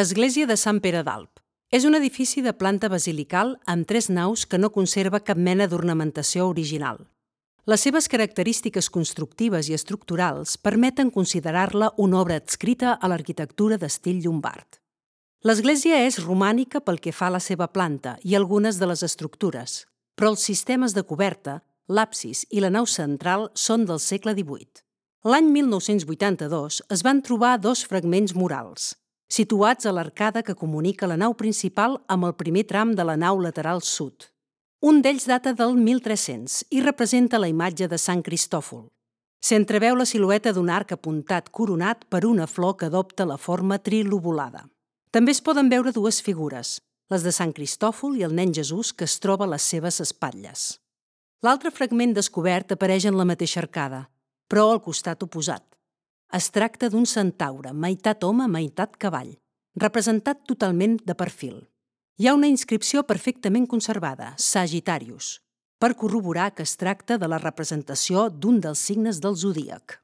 Església de Sant Pere d'Alp. És un edifici de planta basilical amb 3 naus que no conserva cap mena d'ornamentació original. Les seves característiques constructives i estructurals permeten considerar-la una obra adscrita a l'arquitectura d'estil llombard. L'església és romànica pel que fa a la seva planta i algunes de les estructures, però els sistemes de coberta, l'absis i la nau central són del segle XVIII. L'any 1982 es van trobar 2 fragments murals, situats a l'arcada que comunica la nau principal amb el primer tram de la nau lateral sud. Un d'ells data del 1300 i representa la imatge de Sant Cristòfol. S'entreveu la silueta d'un arc apuntat coronat per una flor que adopta la forma trilobulada. També es poden veure 2 figures, les de Sant Cristòfol i el nen Jesús que es troba a les seves espatlles. L'altre fragment descobert apareix en la mateixa arcada, però al costat oposat. Es tracta d'un centaure, meitat home, meitat cavall, representat totalment de perfil. Hi ha una inscripció perfectament conservada, Sagittarius, per corroborar que es tracta de la representació d'un dels signes del zodíac.